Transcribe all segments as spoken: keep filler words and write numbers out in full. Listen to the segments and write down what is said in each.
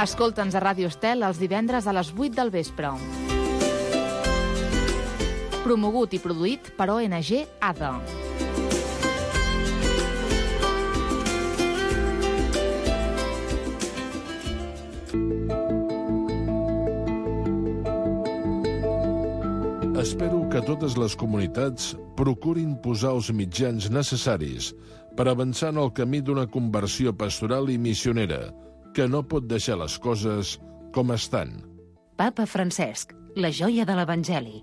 Escolta'ns a Ràdio Estel els divendres a les vuit del vespre. Promogut i produït per O N G A D A. Espero que totes les comunitats procurin posar els mitjans necessaris per avançar en el camí d'una conversió pastoral i missionera, que no pot deixar les coses com estan. Papa Francesc, la joia de l'Evangeli.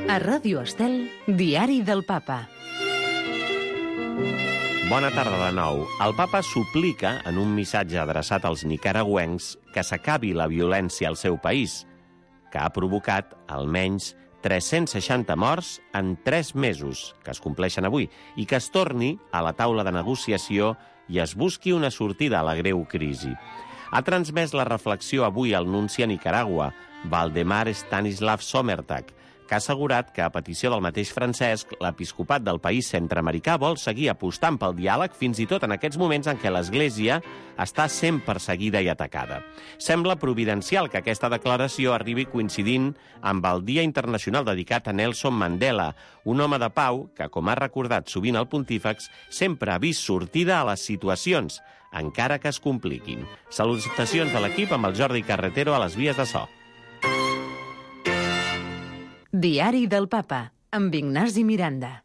A Ràdio Estel, Diari del Papa. Bona tarda de nou. El papa suplica, en un missatge adreçat als nicaragüencs, que s'acabi la violència al seu país, que ha provocat almenys tres-cents seixanta morts en tres mesos, que es compleixen avui, i que es torni a la taula de negociació i es busqui una sortida a la greu crisi. Ha transmès la reflexió avui al nunci a Nicaragua, Valdemar Stanislav Somertag, que ha assegurat que, a petició del mateix Francesc, l'episcopat del país centreamericà vol seguir apostant pel diàleg fins i tot en aquests moments en què l'Església està sent perseguida i atacada. Sembla providencial que aquesta declaració arribi coincidint amb el Dia Internacional dedicat a Nelson Mandela, un home de pau que, com ha recordat sovint el pontífex, sempre ha vist sortida a les situacions, encara que es compliquin. Salutacions de l'equip amb el Jordi Carretero a les vies de so. Diari del Papa, amb Ignasi Miranda.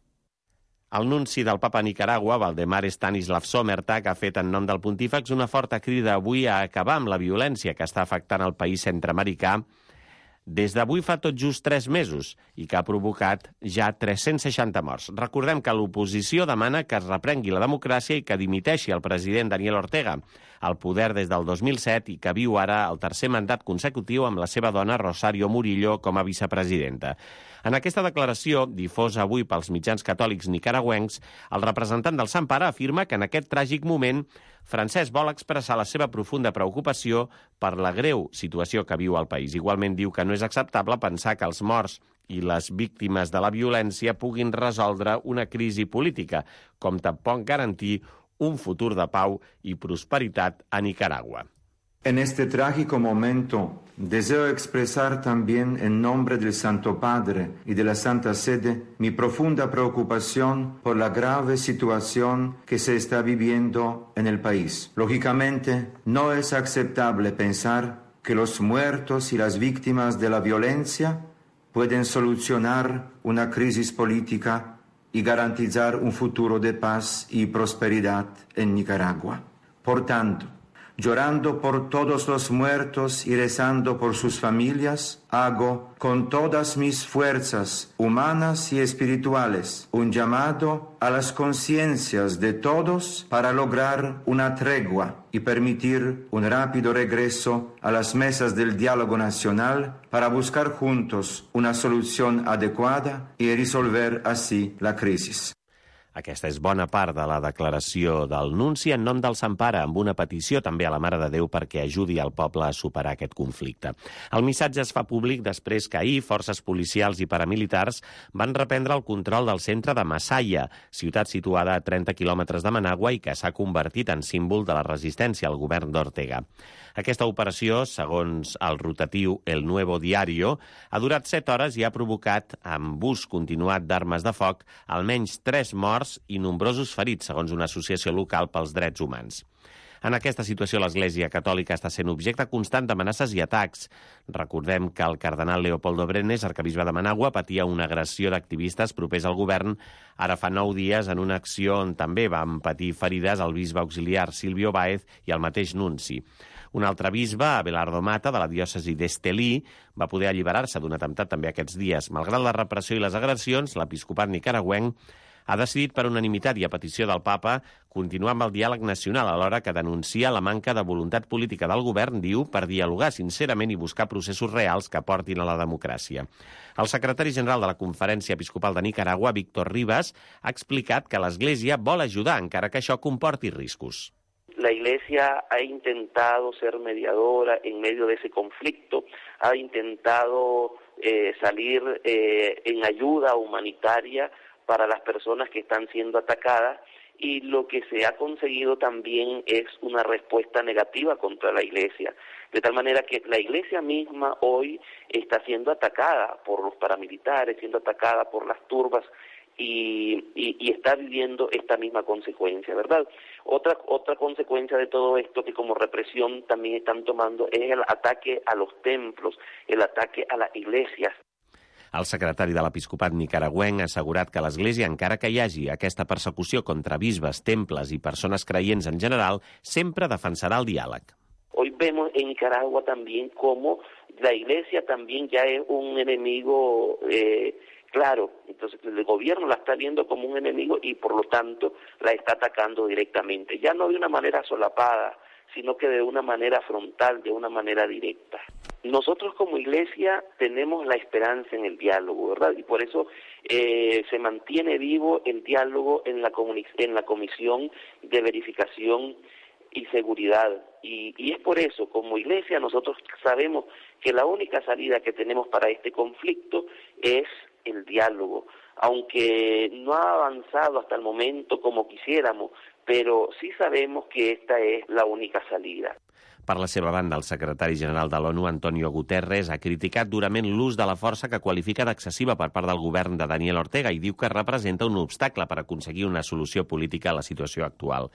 El nunci del Papa a Nicaragua, Valdemar Stanislav Somertag, ha fet en nom del pontífex una forta crida avui a acabar amb la violència que està afectant el país centreamericà des d'avui fa tot just tres mesos i que ha provocat ja tres-cents seixanta morts. Recordem que l'oposició demana que es reprengui la democràcia i que dimiteixi el president Daniel Ortega, al poder des del dos mil set i que viu ara el tercer mandat consecutiu amb la seva dona Rosario Murillo com a vicepresidenta. En aquesta declaració, difosa avui pels mitjans catòlics nicaragüencs, el representant del Sant Pare afirma que en aquest tràgic moment Francesc vol expressar la seva profunda preocupació per la greu situació que viu el país. Igualment diu que no és acceptable pensar que els morts i les víctimes de la violència puguin resoldre una crisi política, com tampoc garantir un futur de pau i prosperitat a Nicaragua. En este trágico momento deseo expresar también en nombre del Santo Padre y de la Santa Sede mi profunda preocupación por la grave situación que se está viviendo en el país. Lógicamente, no es aceptable pensar que los muertos y las víctimas de la violencia pueden solucionar una crisis política y garantizar un futuro de paz y prosperidad en Nicaragua. Por tanto, llorando por todos los muertos y rezando por sus familias, hago con todas mis fuerzas humanas y espirituales un llamado a las conciencias de todos para lograr una tregua y permitir un rápido regreso a las mesas del diálogo nacional para buscar juntos una solución adecuada y resolver así la crisis. Aquesta és bona part de la declaració del nunci en nom del Sant Pare, amb una petició també a la Mare de Déu perquè ajudi el poble a superar aquest conflicte. El missatge es fa públic després que ahir forces policials i paramilitars van reprendre el control del centre de Masaya, ciutat situada a trenta quilòmetres de Managua i que s'ha convertit en símbol de la resistència al govern d'Ortega. Aquesta operació, segons el rotatiu El Nuevo Diario, ha durat set hores i ha provocat, amb ús continuat d'armes de foc, almenys tres morts i nombrosos ferits, segons una associació local pels drets humans. En aquesta situació, l'Església Catòlica està sent objecte constant d'amenaces i atacs. Recordem que el cardenal Leopoldo Brenes, arquebisbe de Managua, patia una agressió d'activistes propers al govern ara fa nou dies en una acció on també van patir ferides el bisbe auxiliar Silvio Báez i el mateix nunci. Un altre bisbe, Abelardo Mata, de la diòcesi d'Estelí, va poder alliberar-se d'un atemptat també aquests dies. Malgrat la repressió i les agressions, l'episcopat nicaragüenc ha decidit per unanimitat i a petició del papa continuar amb el diàleg nacional, alhora que denuncia la manca de voluntat política del govern, diu, per dialogar sincerament i buscar processos reals que portin a la democràcia. El secretari general de la Conferència Episcopal de Nicaragua, Víctor Rivas, ha explicat que l'Església vol ajudar, encara que això comporti riscos. la Iglesia ha intentado ser mediadora en medio de ese conflicto, ha intentado eh, salir eh, en ayuda humanitaria para las personas que están siendo atacadas, y lo que se ha conseguido también es una respuesta negativa contra la Iglesia, de tal manera que la Iglesia misma hoy está siendo atacada por los paramilitares, siendo atacada por las turbas, y, y, y está viviendo esta misma consecuencia, ¿verdad? Otra, otra consecuencia de todo esto que como represión también están tomando es el ataque a los templos, el ataque a las iglesias. El secretari de l'Episcopat nicaragüenc ha assegurat que l'Església, encara que hi hagi aquesta persecució contra bisbes, temples i persones creients en general, sempre defensarà el diàleg. Hoy vemos en Nicaragua también cómo la Iglesia también ya es un enemigo eh, claro. Entonces el gobierno la está viendo como un enemigo y por lo tanto la está atacando directamente. Ya no de una manera solapada, sino que de una manera frontal, de una manera directa. Nosotros como Iglesia tenemos la esperanza en el diálogo, ¿verdad? Y por eso eh, se mantiene vivo el diálogo en la, en la Comisión de Verificación y Seguridad. Y, y es por eso, como Iglesia, nosotros sabemos que la única salida que tenemos para este conflicto es el diálogo, aunque no ha avanzado hasta el momento como quisiéramos, pero sí sabemos que esta es la única salida. Per la seva banda, el secretari general de l'ONU, Antonio Guterres, ha criticat durament l'ús de la força que qualifica d'excessiva per part del govern de Daniel Ortega i diu que representa un obstacle per aconseguir una solució política a la situació actual.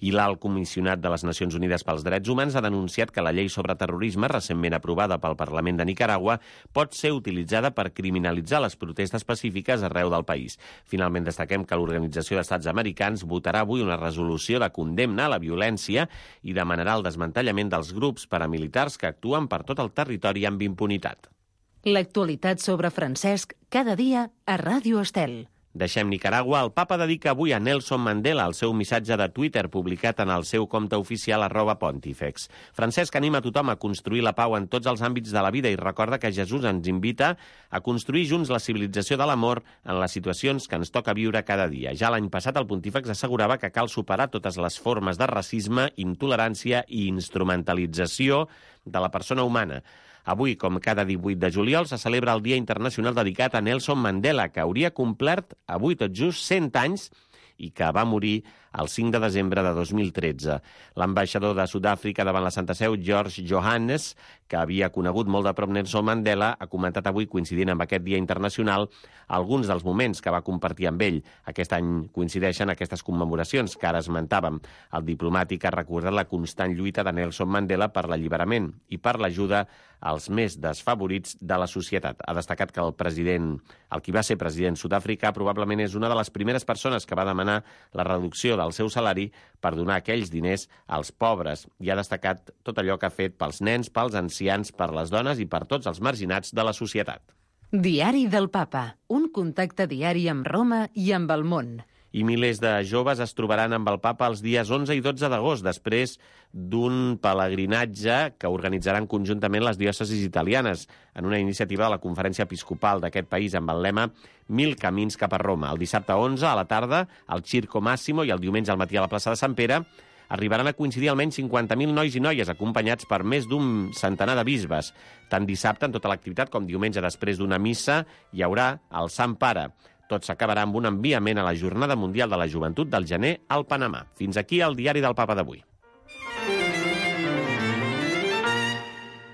I l'alt comissionat de les Nacions Unides pels Drets Humans ha denunciat que la llei sobre terrorisme, recentment aprovada pel Parlament de Nicaragua, pot ser utilitzada per criminalitzar les protestes pacífiques arreu del país. Finalment, destaquem que l'Organització d'Estats Americans votarà avui una resolució de condemna a la violència i demanarà el desmantellament dels grups paramilitars que actuen per tot el territori amb impunitat. L'actualitat sobre Francesc cada dia a Ràdio Estel. Deixem Nicaragua. El papa dedica avui a Nelson Mandela el seu missatge de Twitter publicat en el seu compte oficial arroba Pontifex. Francesc anima a tothom a construir la pau en tots els àmbits de la vida i recorda que Jesús ens invita a construir junts la civilització de l'amor en les situacions que ens toca viure cada dia. Ja l'any passat el Pontífex assegurava que cal superar totes les formes de racisme, intolerància i instrumentalització de la persona humana. Avui, com cada divuit de juliol, se celebra el Dia Internacional dedicat a Nelson Mandela, que hauria complert avui tot just cent anys i que va morir el cinc de desembre de dos mil tretze. L'ambaixador de Sud-àfrica davant la Santa Seu, George Johannes, que havia conegut molt de prop Nelson Mandela, ha comentat avui, coincidint amb aquest Dia Internacional, alguns dels moments que va compartir amb ell. Aquest any coincideixen aquestes commemoracions que ara esmentàvem. El diplomàtic ha recordat la constant lluita de Nelson Mandela per l'alliberament i per l'ajuda als més desfavorits de la societat. Ha destacat que el president, el qui va ser president Sud-àfrica, probablement és una de les primeres persones que va demanar la reducció del seu salari per donar aquells diners als pobres, i ha destacat tot allò que ha fet pels nens, pels ancians, per les dones i per tots els marginats de la societat. Diari del Papa, un contacte diari amb Roma i amb el món. I milers de joves es trobaran amb el papa els dies onze i dotze d'agost, després d'un pelegrinatge que organitzaran conjuntament les diòcesis italianes en una iniciativa de la Conferència Episcopal d'aquest país amb el lema Mil camins cap a Roma. El dissabte onze a la tarda al Circo Massimo i el diumenge al matí a la plaça de Sant Pere arribaran a coincidir almenys cinquanta mil nois i noies acompanyats per més d'un centenar de bisbes. Tant dissabte en tota l'activitat com diumenge després d'una missa hi haurà el Sant Pare. Tot s'acabarà amb un enviament a la Jornada Mundial de la Joventut del gener al Panamà. Fins aquí el Diari del Papa d'avui.